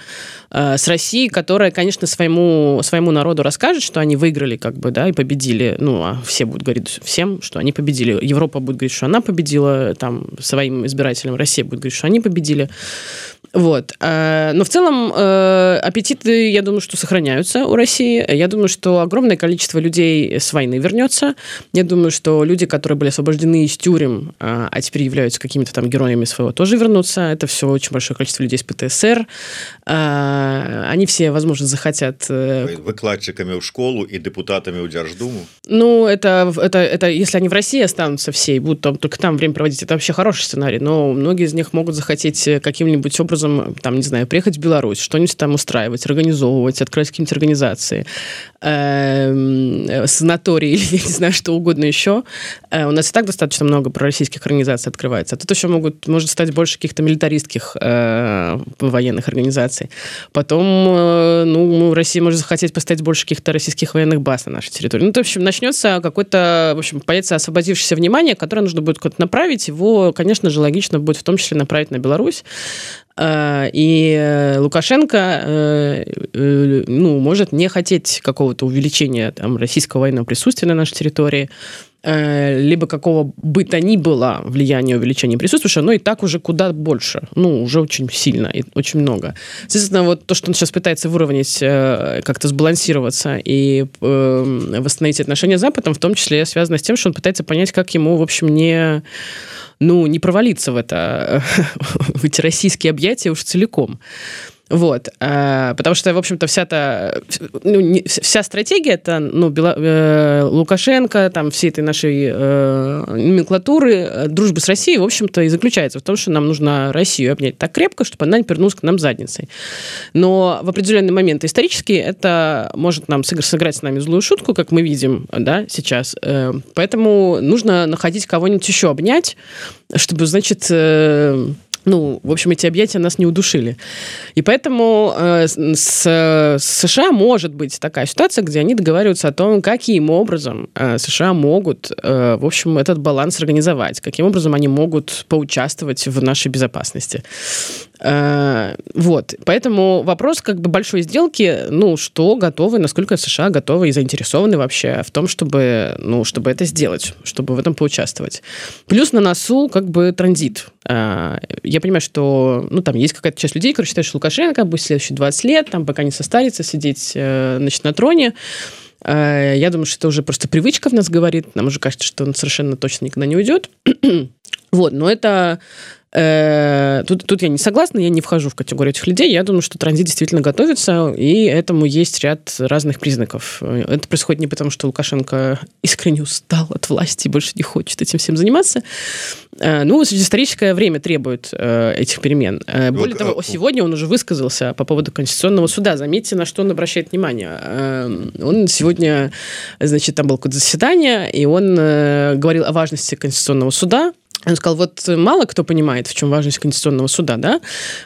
э, с Россией, которая, конечно, своему, своему народу расскажет, что они выиграли, как бы, да, и победили. Ну, а все будут говорить всем, что они победили. Европа будет говорить, что она победила, там, своим избирателям. Россия будет говорить, что они победили. Вот. Но в целом аппетиты, я думаю, что сохраняются у России. Я думаю, что огромное количество людей с войны вернется. Я думаю, что люди, которые были освобождены из тюрем, а теперь являются какими-то там героями своего, тоже вернутся. Это все очень большое количество людей с ПТСР. Они все, возможно, захотят... Выкладчиками в школу и депутатами в Держдуму? Ну, это, это, это если они в России останутся все и будут там, только там время проводить, это вообще хороший сценарий. Но многие из них могут захотеть каким-нибудь образом там, не знаю, приехать в Беларусь, что-нибудь там устраивать, организовывать, открыть какие-нибудь организации, санатории или, я не знаю, что угодно еще. У нас и так достаточно много пророссийских организаций открывается. А тут еще могут, может стать больше каких-то милитаристских военных организаций. Потом, ну, Россия может захотеть поставить больше каких-то российских военных баз на нашей территории. Ну, то, в общем, начнется какой-то, в общем, появится освободившееся внимание, которое нужно будет куда-то направить. Его, конечно же, логично будет в том числе направить на Беларусь. И Лукашенко, ну, может не хотеть какого-то увеличения там, российского военного присутствия на нашей территории, либо какого бы то ни было влияния увеличения присутствия, потому что оно и так уже куда больше, ну, уже очень сильно и очень много. Соответственно, вот то, что он сейчас пытается выровнять, как-то сбалансироваться и восстановить отношения с Западом, в том числе связано с тем, что он пытается понять, как ему, в общем, не... ну, не провалиться в это, в эти российские объятия уж целиком. Вот, потому что, в общем-то, вся та, ну, не, вся стратегия это, ну, Бела, э, Лукашенко, там, всей этой нашей э, номенклатуры дружбы с Россией, в общем-то, и заключается в том, что нам нужно Россию обнять так крепко, чтобы она не повернулась к нам задницей. Но в определенный момент исторически это может нам сыграть с нами злую шутку, как мы видим, да, сейчас. Поэтому нужно находить кого-нибудь еще обнять, чтобы, значит... Э, ну, в общем, эти объятия нас не удушили. И поэтому э, с, с США может быть такая ситуация, где они договариваются о том, каким образом э, США могут, э, в общем, этот баланс организовать, каким образом они могут поучаствовать в нашей безопасности. Э, вот. Поэтому вопрос как бы большой сделки, ну, что готовы, насколько США готовы и заинтересованы вообще в том, чтобы, ну, чтобы это сделать, чтобы в этом поучаствовать. Плюс на носу как бы транзит. Э, я понимаю, что, ну, там есть какая-то часть людей, которые считают, что Лукашенко будет следующие двадцать лет, там, пока не состарится, сидеть, значит, на троне. Я думаю, что это уже просто привычка в нас говорит. Нам уже кажется, что он совершенно точно никогда не уйдет. Вот, но это... Тут, тут я не согласна, я не вхожу в категорию этих людей. Я думаю, что транзит действительно готовится, и этому есть ряд разных признаков. Это происходит не потому, что Лукашенко искренне устал от власти и больше не хочет этим всем заниматься. Ну, историческое время требует этих перемен. Более того, сегодня он уже высказался по поводу Конституционного суда. Заметьте, на что он обращает внимание. Он сегодня, значит, там было какое-то заседание, и он говорил о важности Конституционного суда. Он сказал, вот мало кто понимает, в чем важность Конституционного суда, да?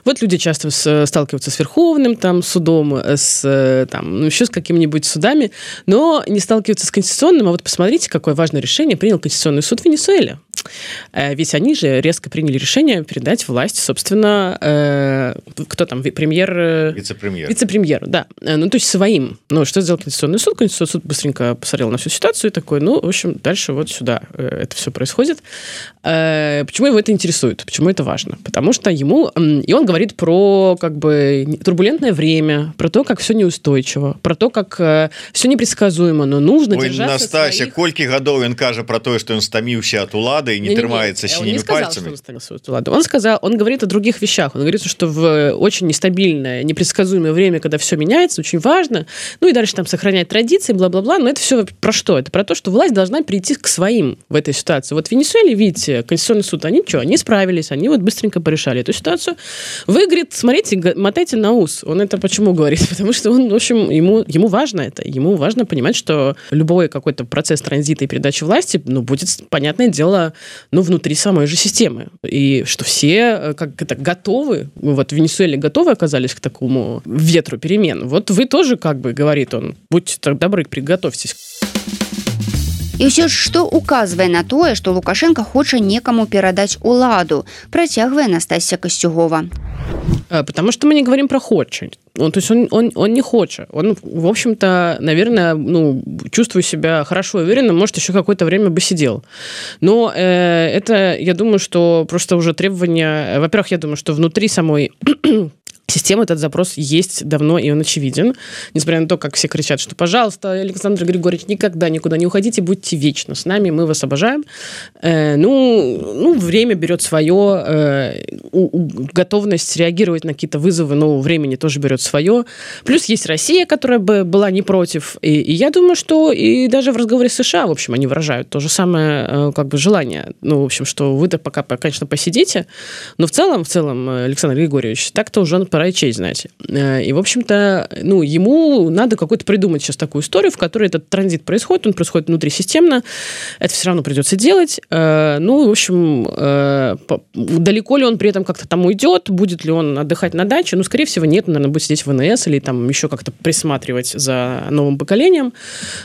Вот люди часто с, сталкиваются с Верховным там, судом, с, там, ну, еще с какими-нибудь судами, но не сталкиваются с Конституционным, а вот посмотрите, какое важное решение принял Конституционный суд в Венесуэле. Ведь они же резко приняли решение передать власть, собственно, э, кто там, премьер... Вице-премьер. Вице-премьеру, да. Ну, то есть своим. Ну, что сделал Конституционный суд? Конституционный суд быстренько посмотрел на всю ситуацию и такой, ну, в общем, дальше вот сюда это все происходит. Почему его это интересует? Почему это важно? Потому что ему... И он говорит про, как бы, турбулентное время, про то, как все неустойчиво, про то, как все непредсказуемо, но нужно Ой, держаться Настасья, своих... колькі гадоў ён кажа про то, что он стаміўся от улады и не, не трымается синими не сказал, пальцами. Он, он сказал, он говорит о других вещах. Он говорит, что в очень нестабильное, непредсказуемое время, когда все меняется, очень важно, ну и дальше там сохранять традиции, бла-бла-бла, но это все про что? Это про то, что власть должна перейти к своим в этой ситуации. Вот в Венесуэле, видите, Конституционный суд, они что, они справились, они вот быстренько порешали эту ситуацию. Вы, говорит, смотрите, мотайте на ус. Он это почему говорит? Потому что он, в общем, ему, ему важно это. Ему важно понимать, что любой какой-то процесс транзита и передачи власти, ну, будет, понятное дело, ну, внутри самой же системы. И что все как это готовы, вот в Венесуэле готовы оказались к такому ветру перемен. Вот вы тоже, как бы, говорит он, будьте так добры, приготовьтесь. І ўсё ж, што указвае на тое, што Лукашенко хоча некаму перадаць уладу, працягвае Настасья Костюгова. Потому что мы не говорим про хоча. Он, то есть он, он, он не хочет. Он, в общем-то, наверное, ну, чувствует себя хорошо и уверенно, может, еще какое-то время бы сидел. Но э, это, я думаю, что просто уже требования... Во-первых, я думаю, что внутри самой... Система, этот запрос есть давно, и он очевиден. Несмотря на то, как все кричат, что, пожалуйста, Александр Григорьевич, никогда никуда не уходите, будьте вечно с нами, мы вас обожаем. Э, ну, ну, время берет свое, э, у, у, готовность реагировать на какие-то вызовы нового времени тоже берет свое. Плюс есть Россия, которая бы была не против. И, и я думаю, что и даже в разговоре с США, в общем, они выражают то же самое э, как бы желание. Ну, в общем, что вы-то пока, конечно, посидите, но в целом, в целом, Александр Григорьевич, так-то уже он пора и честь знать. И, в общем-то, ну, ему надо какую-то придумать сейчас такую историю, в которой этот транзит происходит, он происходит внутрисистемно, это все равно придется делать. Ну, в общем, далеко ли он при этом как-то там уйдет, будет ли он отдыхать на даче? Ну, скорее всего, нет, он, наверное, будет сидеть в эн эс или там еще как-то присматривать за новым поколением.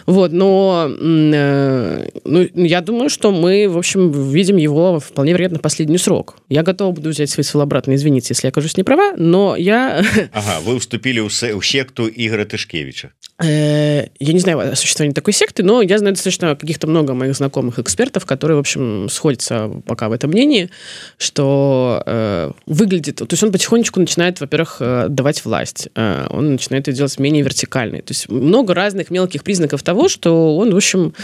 Вот, но ну, я думаю, что мы, в общем, видим его вполне вероятно последний срок. Я готова буду взять свои слова обратно, извините, если я окажусь не права, но я... Ага, вы вступили в секту Игоря Тышкевича. Я не знаю о существовании такой секты, но я знаю достаточно каких-то много моих знакомых экспертов, которые, в общем, сходятся пока в этом мнении, что э, выглядит... То есть он потихонечку начинает, во-первых, давать власть. Он начинает ее делать менее вертикальной. То есть много разных мелких признаков того, что он, в общем,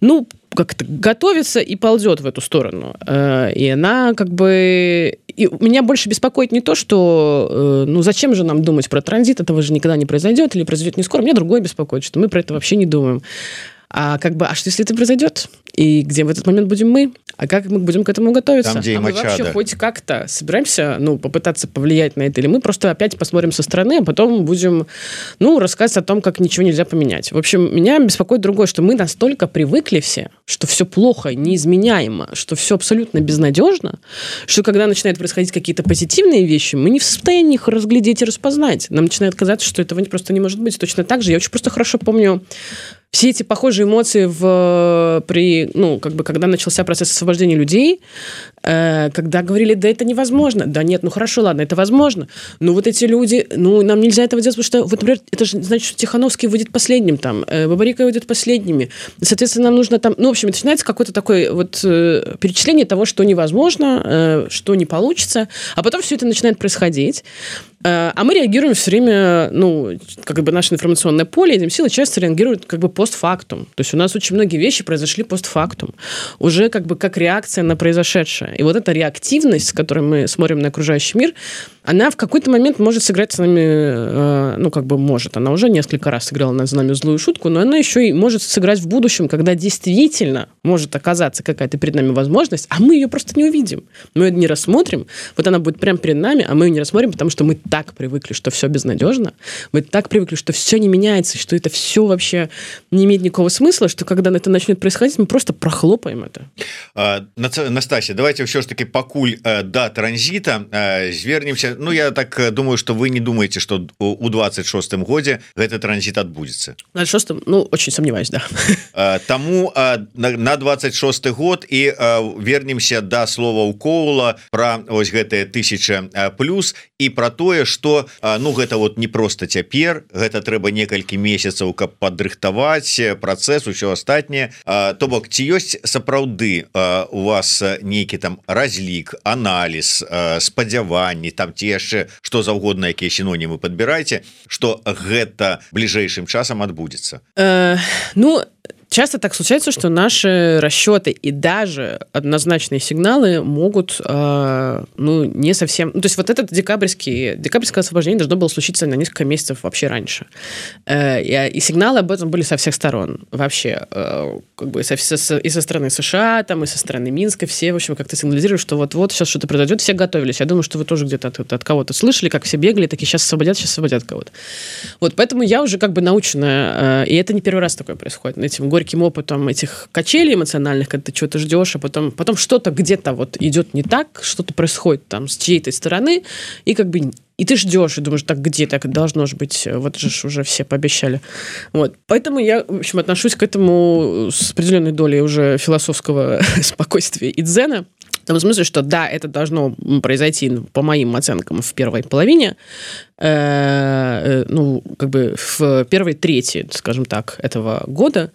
ну, как-то готовится и ползет в эту сторону. И она как бы... И меня больше беспокоит не то, что ну зачем же нам думать про транзит, этого же никогда не произойдет или произойдет не скоро. Меня другое беспокоит, что мы про это вообще не думаем. А как бы, а что если это произойдет? И где в этот момент будем мы? А как мы будем к этому готовиться? Там, где а мы Мачадо. Вообще хоть как-то собираемся, ну, попытаться повлиять на это? Или мы просто опять посмотрим со стороны, а потом будем, ну, рассказывать о том, как ничего нельзя поменять? В общем, меня беспокоит другое, что мы настолько привыкли все, что все плохо, неизменяемо, что все абсолютно безнадежно, что когда начинают происходить какие-то позитивные вещи, мы не в состоянии их разглядеть и распознать. Нам начинает казаться, что этого просто не может быть. Точно так же. Я очень просто хорошо помню все эти похожие эмоции в, при, ну, как бы, когда начался процесс освобождения людей, э, когда говорили, да это невозможно, да нет, ну хорошо, ладно, это возможно, но вот эти люди, ну нам нельзя этого делать, потому что, вот, например, это же значит, что Тихановский выйдет последним, там, э, Бабарика выйдет последними, соответственно, нам нужно там, ну, в общем, начинается какое-то такое вот э, перечисление того, что невозможно, э, что не получится, а потом все это начинает происходить. А мы реагируем все время, ну, как бы наше информационное поле, этим силы часто реагируют как бы постфактум. То есть у нас очень многие вещи произошли постфактум. Уже как бы как реакция на произошедшее. И вот эта реактивность, с которой мы смотрим на окружающий мир, она в какой-то момент может сыграть с нами, ну, как бы может, она уже несколько раз сыграла над нами злую шутку, но она еще и может сыграть в будущем, когда действительно может оказаться какая-то перед нами возможность, а мы ее просто не увидим. Мы ее не рассмотрим, вот она будет прямо перед нами, а мы ее не рассмотрим, потому что мы так привыкли, что все безнадежно, мы так привыкли, что все не меняется, что это все вообще не имеет никакого смысла, что когда это начнет происходить, мы просто прохлопаем это. А, Настасья, давайте все ж таки пакуль до транзита звернемся. Ну, я так думаю, что вы не думаете, что у двадцать шостым годзе этот транзит отбудется. На двадцать шостом, ну, очень сомневаюсь, да. Тому на двадцать шосты год и вернемся до слова у Коула про ось гэтые тысяча плюс и про тое, что, ну, гэта вот не просто цяпер, гэта трэба некалькі месяцаў, каб падрыхтаваць працэс, усё астатняе. То бок, ці ёсць сапраўды у вас нейкі там разлік, аналіз, спадзяванні, там ці яшчэ што заўгодна, якія сінонімы падбірайце, што гэта бліжэйшым часам адбудзецца? Э, ну, часто так случается, что наши расчеты и даже однозначные сигналы могут, э, ну, не совсем... Ну, то есть вот этот декабрьский, декабрьское освобождение должно было случиться на несколько месяцев вообще раньше. Э, и, и сигналы об этом были со всех сторон. Вообще, э, как бы со, со, и со стороны США, там, и со стороны Минска. Все, в общем, как-то сигнализируют, что вот-вот сейчас что-то произойдет. Все готовились. Я думаю, что вы тоже где-то от, от кого-то слышали, как все бегали, такие сейчас освободят, сейчас освободят кого-то. Вот, поэтому я уже как бы научена, э, и это не первый раз такое происходит. Этим горьким опытом этих качелей эмоциональных, когда ты чего-то ждешь, а потом, потом что-то где-то вот идет не так, что-то происходит там с чьей-то стороны, и как бы и ты ждешь, и думаешь, так где так должно же быть, вот же уже все пообещали. Вот. Поэтому я, в общем, отношусь к этому с определенной долей уже философского спокойствия и дзена, в том смысле, что да, это должно произойти, по моим оценкам, в первой половине, э, ну, как бы в первой трети, скажем так, этого года,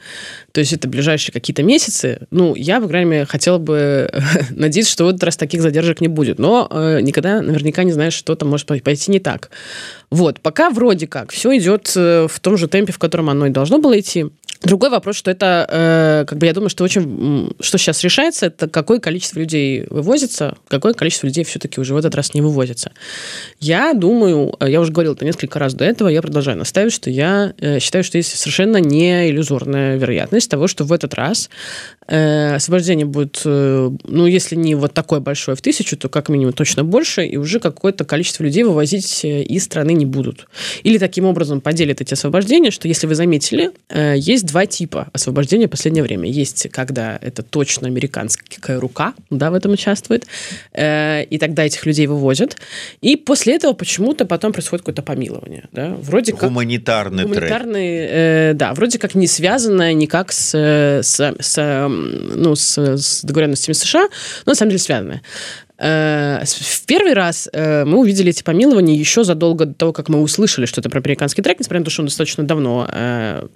то есть это ближайшие какие-то месяцы. Ну, я, по крайней мере, хотела бы надеяться, что в этот раз таких задержек не будет, но э, никогда наверняка не знаешь, что там может пойти не так. Вот, пока вроде как все идет в том же темпе, в котором оно и должно было идти. Другой вопрос, что это, э, как бы я думаю, что очень, что сейчас решается, это какое количество людей вывозится, какое количество людей все-таки уже в этот раз не вывозится. Я думаю, я уже говорил это несколько раз до этого, я продолжаю настаивать, что я э, считаю, что есть совершенно не иллюзорная вероятность того, что в этот раз э, освобождение будет, э, ну, если не вот такое большое в тысячу, то как минимум точно больше, и уже какое-то количество людей вывозить из страны не будут. Или таким образом поделят эти освобождения, что, если вы заметили, э, есть два типа освобождения в последнее время. Есть, когда это точно американская рука, да, в этом участвует, э, и тогда этих людей вывозят. И после этого почему-то потом происходит какое-то помилование. Да? Вроде как... Гуманитарный Гуманитарный, э, да, вроде как не связанное никак с, с, с, ну, с, с договоренностями США, но на самом деле связанное. В первый раз мы увидели эти помилования еще задолго до того, как мы услышали что-то про американский трек, несмотря на то, что он достаточно давно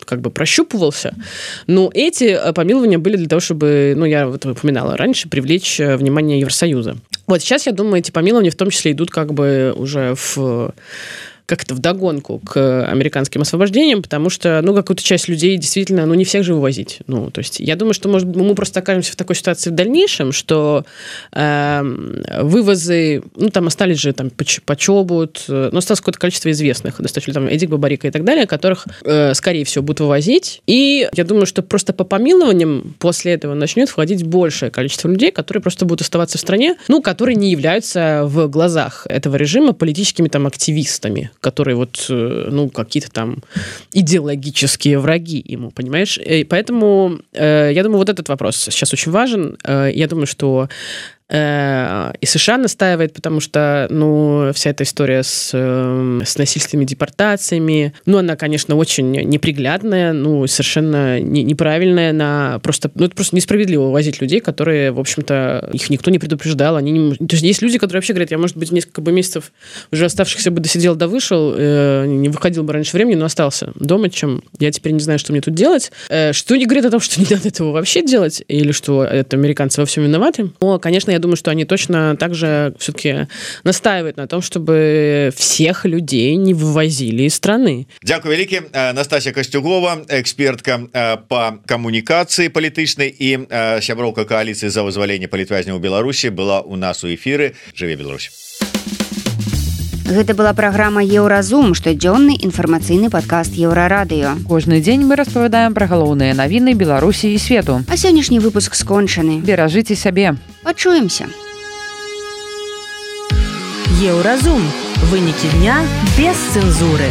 как бы прощупывался. Но эти помилования были для того, чтобы, ну, я вот упоминала раньше, привлечь внимание Евросоюза. Вот сейчас, я думаю, эти помилования в том числе идут как бы уже в... как-то вдогонку к американским освобождениям, потому что, ну, какую-то часть людей действительно, ну, не всех же вывозить. Ну, то есть я думаю, что, может, мы просто окажемся в такой ситуации в дальнейшем, что э, вывозы, ну, там остались же там Почобут, ну, осталось какое-то количество известных, достаточно там Эдик Бабарика и так далее, которых, э, скорее всего, будут вывозить. И я думаю, что просто по помилованиям после этого начнет входить большее количество людей, которые просто будут оставаться в стране, ну, которые не являются в глазах этого режима политическими там активистами, которые вот, ну, какие-то там идеологические враги ему, понимаешь? И поэтому, э, я думаю, вот этот вопрос сейчас очень важен. Э, я думаю, что и США настаивает, потому что, ну, вся эта история с, с насильственными депортациями, ну, она, конечно, очень неприглядная, ну, совершенно не, неправильная, она просто, ну, это просто несправедливо увозить людей, которые, в общем-то, их никто не предупреждал, они не... То есть есть люди, которые вообще говорят, я, может быть, несколько бы месяцев уже оставшихся бы досидел, да вышел, э, не выходил бы раньше времени, но остался дома, чем я теперь не знаю, что мне тут делать. Э, что не говорит о том, что не надо этого вообще делать, или что это американцы во всем виноваты. Но, конечно, я думаю, что они точно также все-таки настаивают на том, чтобы всех людей не вывозили из страны. Дякую великі. Настасья Костюгова, экспертка по камунікацыі палітычнай і сяброўка коаліцыі за вызваленне палітвязняў у Беларусі, была у нас у эфіры. Жыве Беларусь. Гэта была праграма Еўразум, штодзённы інфармацыйны падкаст Еўрарадыё. Кожны дзень мы распавядаем пра галоўныя навіны Беларусі і свету. А сённяшні выпуск скончаны. Беражыце сябе. Пачуемся. Еўразум. Вынікі дня без цэнзуры.